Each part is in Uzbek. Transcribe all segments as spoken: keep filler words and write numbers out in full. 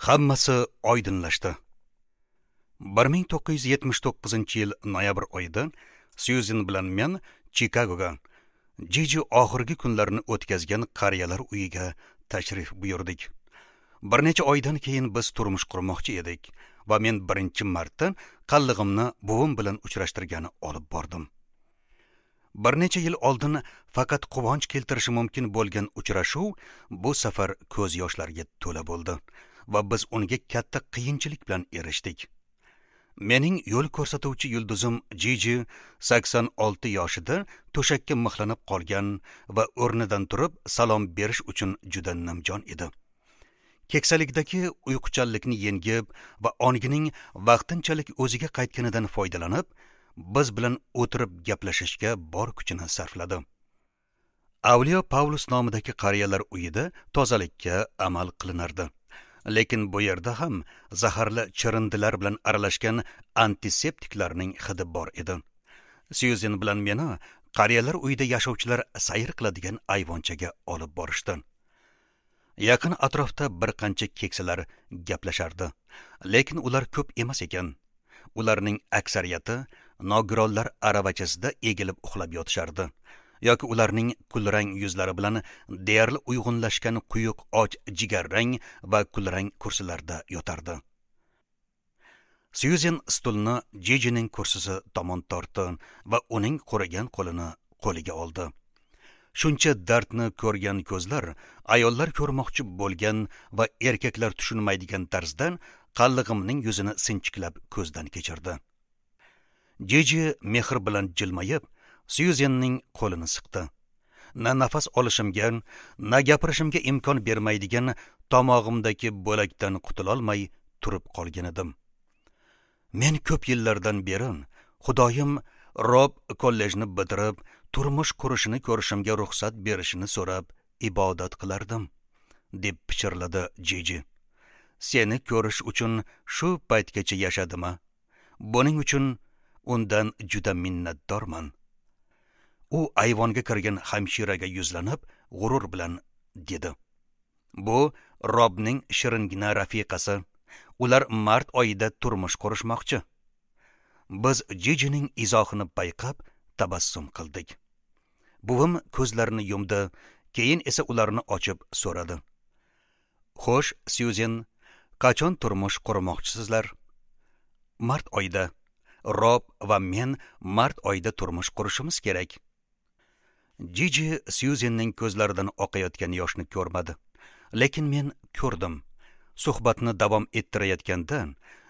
Hammasi oydinlashdi. bir ming to'qqiz yuz yetmish to'qqizinchi yil noyabr oyida Syuzen bilan men Chikagoga, Jiji oxirgi kunlarini o'tkazgan qariyalar uyiga tashrif buyurdik. Bir necha oydan keyin biz turmush qurmoqchi edik va men birinchi marta qallig'imni buvim bilan uchrashtirgani olib bordim. Bir necha yil oldin faqat quvonch keltirishi mumkin bo'lgan uchrashuv bu safar ko'z yoshlarga to'la bo'ldi va biz unga katta qiyinchilik bilan erishdik. Mening yo'l ko'rsatuvchi yulduzim Jiji sakson olti yoshida to'shakka mixlanib qolgan va o'rnidan turib salom berish uchun juda nimjon edi. Keksalikdagi uyquchanlikni yengib va ongining vaqtinchalik o'ziga qaytganidan foydalanib, biz bilan o'tirib gaplashishga bor kuchini sarfladi. Avliyo Pavlus nomidagi qariyalar uyida tozalikka amal qilinardi. Lekin bu yerda ham zaharli chirindilar bilan aralashgan antiseptiklarning hidi bor edi. Syuzen bilan meni qariyalar uyida yashovchilar sayr qiladigan ayvonchaga olib borishdi. Yaqin atrofda bir qancha keksalar gaplashardi, lekin ular ko'p emas ekan. Ularning aksariyati nogironlar aravachasida egilib uxlab yotishardi yoki ularning kulrang yuzlari bilan deyarli uyg'unlashgan quyuq och jigarrang va kulrang kursilarda yotardi. Syuzen stulni Jijining kursisi tomon tortdi va uning qurigan qo'lini qo'liga oldi. Shuncha dardni ko'rgan ko'zlar ayollar ko'rmoqchi bo'lgan va erkaklar tushunmaydigan tarzda qallig'imning yuzini sinchiklab ko'zdan kechirdi. Jiji mehr bilan jilmayib, Syuzenning qo'lini siqdi. Na nafas olishimga, na gapirishimga imkon bermaydigan tomog'imdagi bo'lakdan qutulolmay turib qolgan edim. Men ko'p yillardan beri Xudoyim Rob kollejni bitirib, turmush qurishini ko'rishimga ruxsat berishini so'rab ibodat qilardim, deb pichirladi Jiji. Seni ko'rish uchun shu paytgacha yashadimi? Buning uchun undan juda minnatdorman. U ayvonga kirgan hamshiraga yuzlanib, g'urur bilan dedi: Bu Robning shiringina rafiqasi. Ular mart oyida turmush qurishmoqchi. Biz Jijining izohini payqab tabassum qildik. Buvim ko'zlarini yumdi, keyin esa ularni ochib so'radi: Xo'sh, Syuzen, qachon turmush qurmoqchisizlar? Mart oyida. Rob va men mart oyida turmush qurishimiz kerak. Jiji Syuzenning ko'zlaridan oqayotgan yoshni ko'rmadi, lekin men ko'rdim. Suhbatni davom ettirayotganda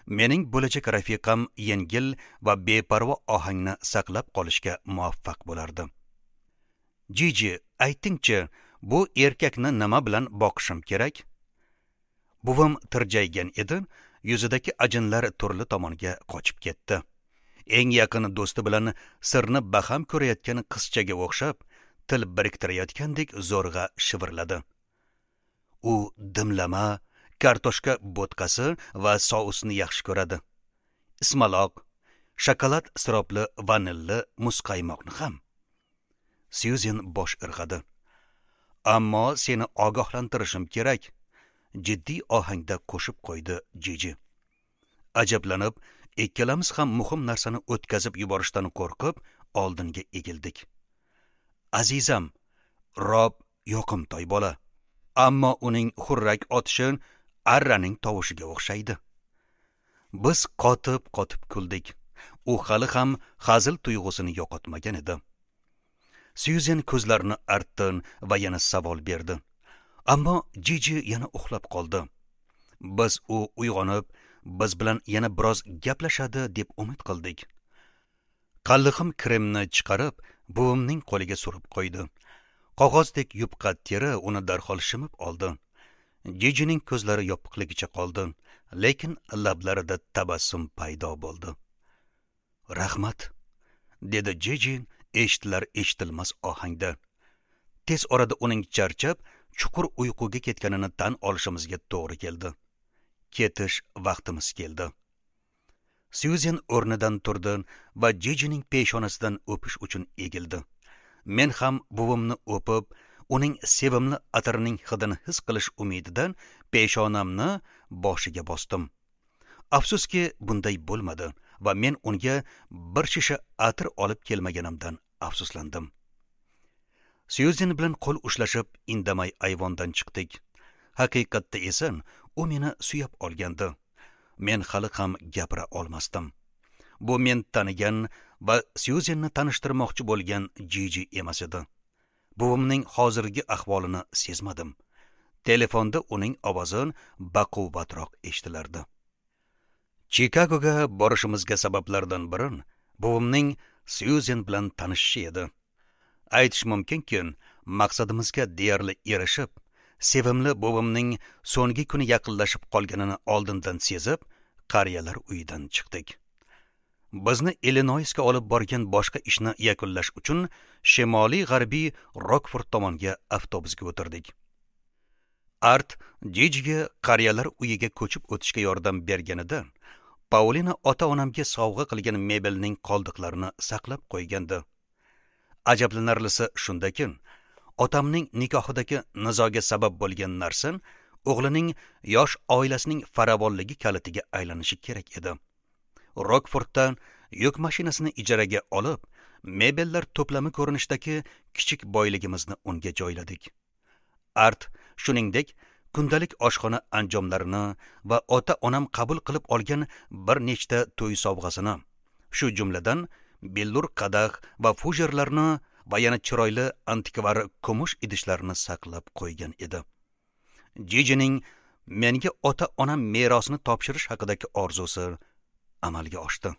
mening bo'lajak rafiqam yengil va beparvo ohangni saqlab qolishga muvaffaq bo'lardi. Jiji, aytingchi, bu erkakni nima bilan boqishim kerak? Buvim tirjaygan edi, yuzidagi ajinlar turli tomonga qochib ketdi. Eng yaqin do'sti bilan sirni baham ko'rayotgan qizchaga o'xshab, til biriktirayotgandek zo'rg'a shivirladi. U dimlama, kartoshka bo'tqasi va sousni yaxshi ko'radi. Ismaloq, shokolad siropli vanilli muzqaymoqni ham. Syuzen bosh irg'adi. Ammo seni ogohlantirishim kerak, jiddiy ohangda qo'shib qo'ydi Jiji. Ajablanib, ikkalamiz ham muhim narsani o'tkazib yuborishdan qo'rqib, oldinga egildik. Azizam, Rob yoqimtoy bola, ammo uning xurrak otishi arraning tovushiga o'xshaydi. Biz qotib-qotib kuldik. U hali ham hazil tuyg'usini yo'qotmagan edi. Syuzen ko'zlarini artdi va yana savol berdi. Ammo Jiji yana uxlab qoldi. Biz u uyg'onib, biz bilan yana biroz gaplashadi deb umid qildik. Qallig'im kremni chiqarib, buvimning qo'liga surib qo'ydi. Qog'ozdek yupqa teri uni darhol shimib oldi. Jijining ko'zlari yopiqligicha qoldi, lekin lablarida tabassum paydo bo'ldi. Rahmat, dedi Jiji eshitilar eshitilmas ohangda. Tez orada uning charchab, chuqur uyquga ketganini tan olishimizga to'g'ri keldi. Ketish vaqtimiz keldi. Syuzen o'rnidan turdi va Jijining peshonasidan o'pish uchun egildi. Men ham buvimni o'pib, uning sevimli atirining hidini his qilish umididan Peshonamni boshiga bosdim. Afsuski, bunday bo'lmadi va men unga bir shisha atir olib kelmaganimdan afsuslandim. Syuzen bilan qo'l ushlashib indamay ayvondan chiqdik. Haqiqatda esa u meni suyab olgandi. Men hali ham gapira olmasdim. Bu men tanigan va Syuzenni tanishtirmoqchi bo'lgan Jiji emas edi. Buvimning hozirgi ahvolini sezmadim. Telefonda uning ovozi baquvvatroq eshitilardi. Chikagoga borishimizga sabablardan biri buvimning Syuzen bilan tanishishi edi. Aytish mumkinki, maqsadimizga deyarli erishib, sevimli buvimning so'nggi kuni yaqinlashib qolganini oldindan sezib, qariyalar uyidan chiqdik. Bizni Illinoisga olib borgan boshqa ishni yakunlash uchun shimoliy g'arbiy Rokford tomonga avtobusga o'tirdik. Art Jijiga qariyalar uyiga ko'chib o'tishga yordam berganida, Paulina ota-onamga sovg'a qilgan mebelning qoldiqlarini saqlab qo'ygandi. Ajablanarlisi shundaki, otamning nikohidagi nizoga sabab bo'lgan narsa o'g'lining yosh oilasining farovonligi kalitiga aylanishi kerak edi. Rokforddan yuk mashinasini ijaraga olib, mebellar to'plami ko'rinishidagi kichik boyligimizni unga joyladik. Art shuningdek kundalik oshxona anjomlarini va ota-onam qabul qilib olgan bir nechta to'y sovg'asini, shu jumladan bellur qadah va fujerlarni va yana chiroyli antikvar kumush idishlarni saqlab qo'ygan edi. Jijining menga ota-onam merosini topshirish haqidagi orzusi amalga oshdi.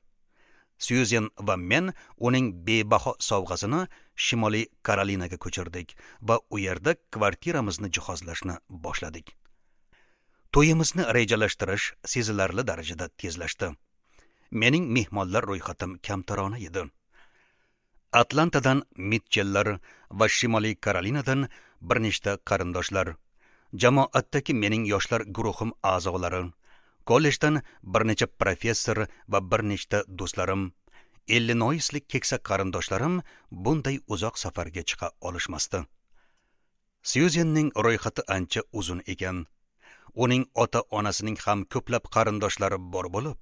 Syuzen va men uning bebaho sovg'asini Shimoliy Karolinaga ko'chirdik va u yerda kvartiramizni jihozlashni boshladik. To'yimizni rejalashtirish sezilarli darajada tezlashdi. Mening mehmonlar ro'yxatim kamtarona edi. Atlantadan Mitchellar va Shimoliy Karolinadan bir nechta qarindoshlar, jamoatdagi mening yoshlar guruhim a'zolari, kollejdan bir necha professor va bir nechta do'stlarim, Illinoislik keksa qarindoshlarim bunday uzoq safarga chiqa olishmasdi. Syuzenning ro'yxati ancha uzun ekan. Uning ota-onasining ham ko'plab qarindoshlari bor bo'lib,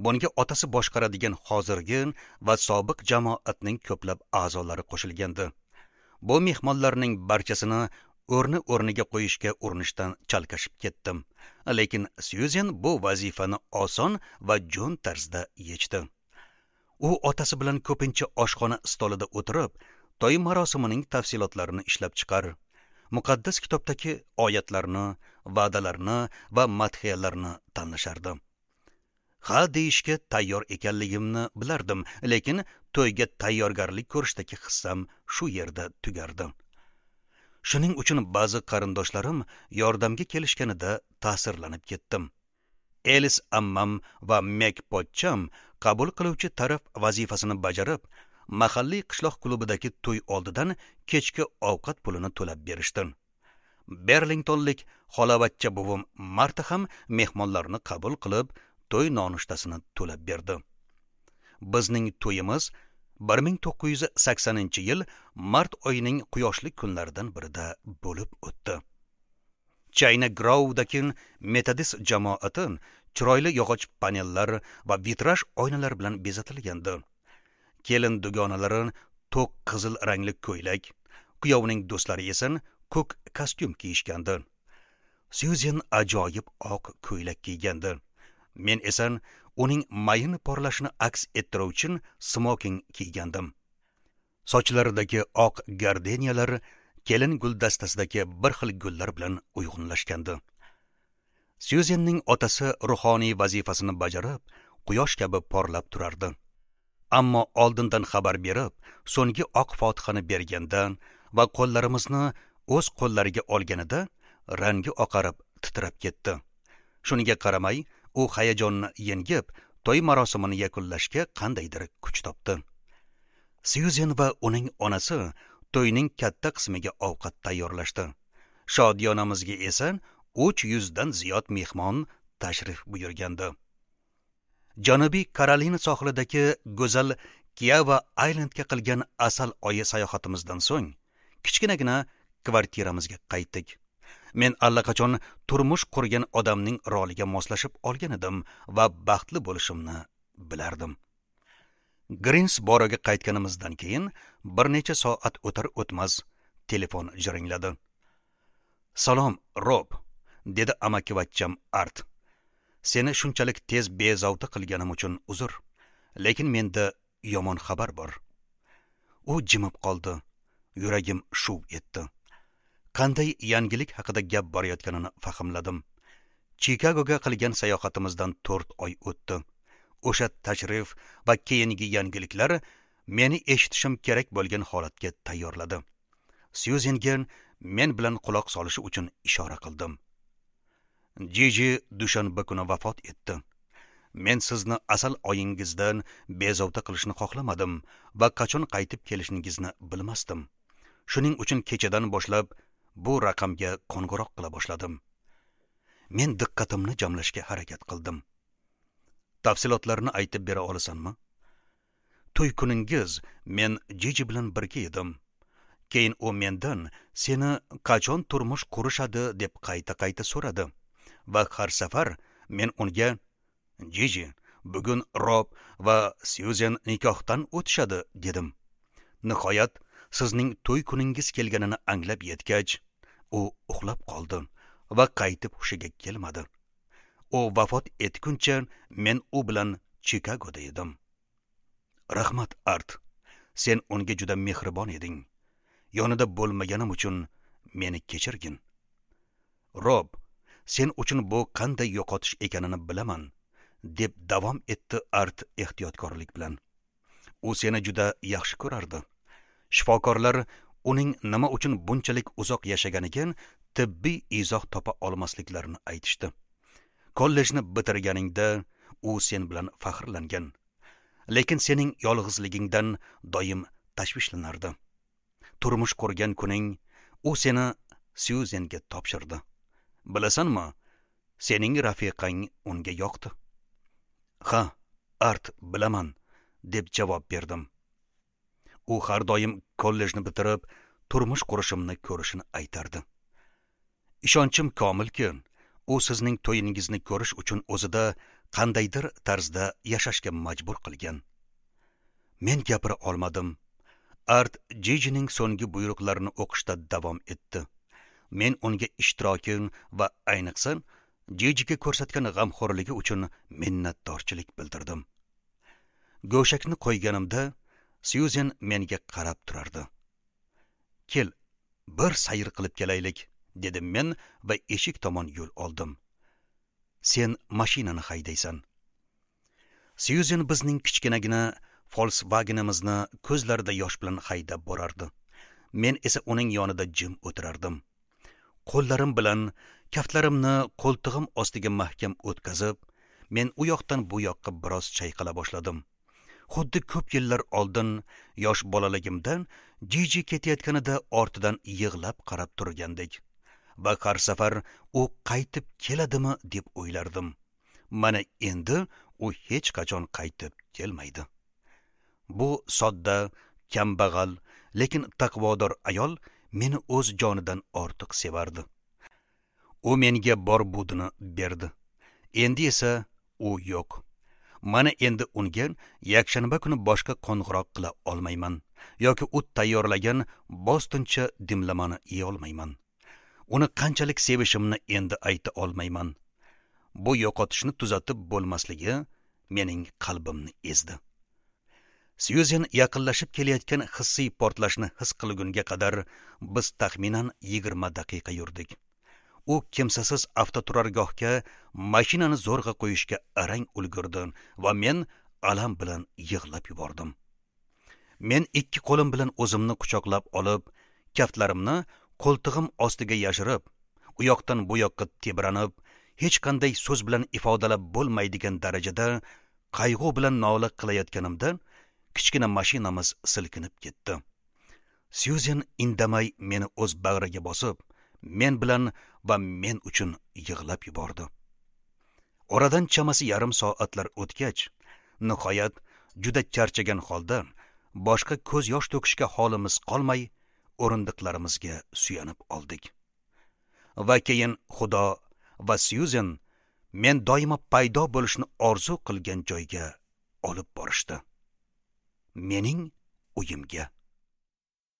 bunga otasi boshqaradigan hozirgi va sobiq jamoatning ko'plab a'zolari qo'shilgandi. Bu mehmonlarning barchasini o'rni o'rniga qo'yishga urinishdan chalkashib ketdim. Lekin Syuzen bu vazifani oson va jo'n tarzda yechdi. U otasi bilan ko'pincha oshxona stolida o'tirib, to'y marosimining tafsilotlarini ishlab chiqar, muqaddas kitobdagi oyatlarni, va'dalarni va madhiyalarni tanlashardi. Ha deyishga tayyor ekanligimni bilardim, lekin to'yga tayyorgarlik ko'rishdagi hissam shu yerda tugardi. Shuning uchun ba'zi qarindoshlarim yordamga kelishganida ta'sirlanib ketdim. Elis ammam va Mek pochcham qabul qiluvchi taraf vazifasini bajarib, mahalliy qishloq klubidagi to'y oldidan kechki ovqat pulini to'lab berishdi. Berlingtonlik xolavachcha buvim Marta ham mehmonlarni qabul qilib, to'y nonushtasini to'lab berdi. Bizning to'yimiz bir ming to'qqiz yuz saksoninchi yil mart oyining quyoshli kunlaridan birida bo'lib o'tdi. China Grove'dagi Metodist jamoati chiroyli yog'och panellar va vitraj oynalar bilan bezatilgandi. Kelin dugonalari to'q qizil rangli ko'ylak, kuyovning do'stlari esa ko'k kostyum kiyishgandi. Syuzen ajoyib oq ko'ylak kiygandi. Men esa uning mayin porlashini aks ettiruvchi smoking kiygandim. Sochlaridagi oq gardeniyalar kelin guldastasidagi bir xil gullar bilan uyg'unlashgandi. Syuzenning otasi ruhoniy vazifasini bajarib, quyosh kabi porlab turardi. Ammo oldindan xabar berib, so'nggi oq fotihani berganda va qo'llarimizni o'z qo'llariga olganida rangi oqarib titrab ketdi. Shunga qaramay, u hayajonni yengib, to'y marosimini yakunlashga qandaydir kuch topdi. Syuzen va uning onasi to'yning katta qismiga ovqat tayyorlashdi. Shodiyonamizga esa uch yuzdan ziyod mehmon tashrif buyurgandi. Janubiy Karolina sohilidagi go'zal Kiava Islandga qilgan asal oyi sayohatimizdan so'ng kichkinagina kvartiramizga qaytdik. Men allaqachon turmush qurgan odamning roliga moslashib olgan edim va baxtli bo'lishimni bilardim. Grinsboroga qaytganimizdan keyin bir necha soat o'tar o'tmas telefon jiringladi. "Salom, Rob", dedi amakivachcham Art. "Seni shunchalik tez bezovta qilganim uchun uzr, lekin menda yomon xabar bor." U jimib qoldi. Yuragim shuv etdi. Qanday yangilik haqida gap borayotganini fahmladim. Chikagoga qilgan sayohatimizdan to'rt oy o'tdi. O'sha tashrif va keyingi yangiliklar meni eshitishim kerak bo'lgan holatga tayyorladi. Syuzenga men bilan quloq solishi uchun ishora qildim. Jiji dushanba kuni vafot etdi. Men sizni asal oyingizdan bezovta qilishni xohlamadim va qachon qaytib kelishingizni bilmasdim. Shuning uchun kechadan boshlab bu raqamga qo'ng'iroq qila boshladim. Men diqqatimni jamlashga harakat qildim. Tafsilotlarni aytib bera olasanmi? To'y kuningiz men Jiji bilan birga edim. Keyin u mendan seni qachon turmush qurishadi deb qayta-qayta so'radi va har safar men unga Jiji, bugun Rob va Syuzen nikohdan o'tishadi dedim. Nihoyat sizning to'y kuningiz kelganini anglab yetgach, u uxlab qoldi va qaytib hushiga kelmadi. U vafot etguncha men u bilan Chikagoda edim. Rahmat, Art. Sen unga juda mehribon eding. Yonida bo'lmaganim uchun meni kechirgin. Rob, sen uchun bu qanday yo'qotish ekanini bilaman, deb davom etdi Art ehtiyotkorlik bilan. U seni juda yaxshi ko'rardi. Shifokorlar uning nima uchun bunchalik uzoq yashaganiga tibbiy izoh topa olmasliklarini aytishdi. Kollejni bitirganingda u sen bilan faxrlangan. Lekin sening yolg'izligingdan doim tashvishlanardi. Turmush qurgan kuning u seni Syuzenga topshirdi. Bilasanmi, sening rafiqang unga yoqdi. Ha, Art, bilaman, deb javob berdim. U har doim kollejni bitirib, turmush qurishimni ko'rishini aytardi. Ishonchim komilki, u sizning to'yingizni ko'rish uchun o'zida qandaydir tarzda yashashga majbur qilgan. Men gapira olmadim. Art Jijining so'nggi buyruqlarini o'qishda davom etdi. Men unga ishtiroki va ayniqsa Jijiga ko'rsatgan g'amxo'rligi uchun minnatdorchilik bildirdim. Go'shakni qo'yganimda Syuzen menga qarab turardi. "Kel, bir sayr qilib kelaylik", dedim men va eshik tomon yo'l oldim. "Sen mashinani haydaysan." Syuzen bizning kichkinagina Volkswagenimizni ko'zlarida yosh bilan haydab borardi. Men esa uning yonida jim o'tirardim. Qo'llarim bilan kaftlarimni qo'ltig'im ostiga mahkam o'tkazib, men u yoqdan bu yoqqa biroz chayqala boshladim. Xuddi ko'p yillar oldin yosh bolaligimdan Jiji ketayotganida ortidan yig'lab qarab turgandek. Va har safar u qaytib keladimi deb o'ylardim. Mana endi u hech qachon qaytib kelmaydi. Bu sodda, kambag'al, lekin taqvodor ayol meni o'z jonidan ortiq sevardi. U menga bor budini berdi. Endi esa u yo'q. Mana endi unga yakshanba kuni boshqa qo'ng'iroq qila olmayman yoki u tayyorlagan bostincha dimlamani yeya olmayman. Uni qanchalik sevishimni endi ayta olmayman. Bu yo'qotishni tuzatib bo'lmasligi mening qalbimni ezdi. Syuzen yaqinlashib kelayotgan hissiy portlashni his qilgunga qadar biz taxminan yigirma daqiqa yurdik. U kimsasiz avtoturargohga mashinani zo'rg'a qo'yishga arang ulgurdi va men alam bilan yig'lab yubordim. Men ikki qo'lim bilan o'zimni quchoqlab olib, kaftlarimni qo'ltig'im ostiga yashirib, u yoqdan bu yoqqa tebranib, hech qanday so'z bilan ifodalab bo'lmaydigan darajada qayg'u bilan nola qilayotganimda kichkina mashinamiz silkinib ketdi. Syuzen indamay meni o'z bag'riga bosib, men bilan va men uchun yig'lab yubordi. Oradan chamasi yarim soatlar o'tgach, nihoyat juda charchagan holda boshqa ko'z yosh to'kishga holimiz qolmay, o'rindiqlarimizga suyanib oldik. Va keyin Xudo va Syuzen men doimo paydo bo'lishni orzu qilgan joyga olib borishdi. Mening uyimga.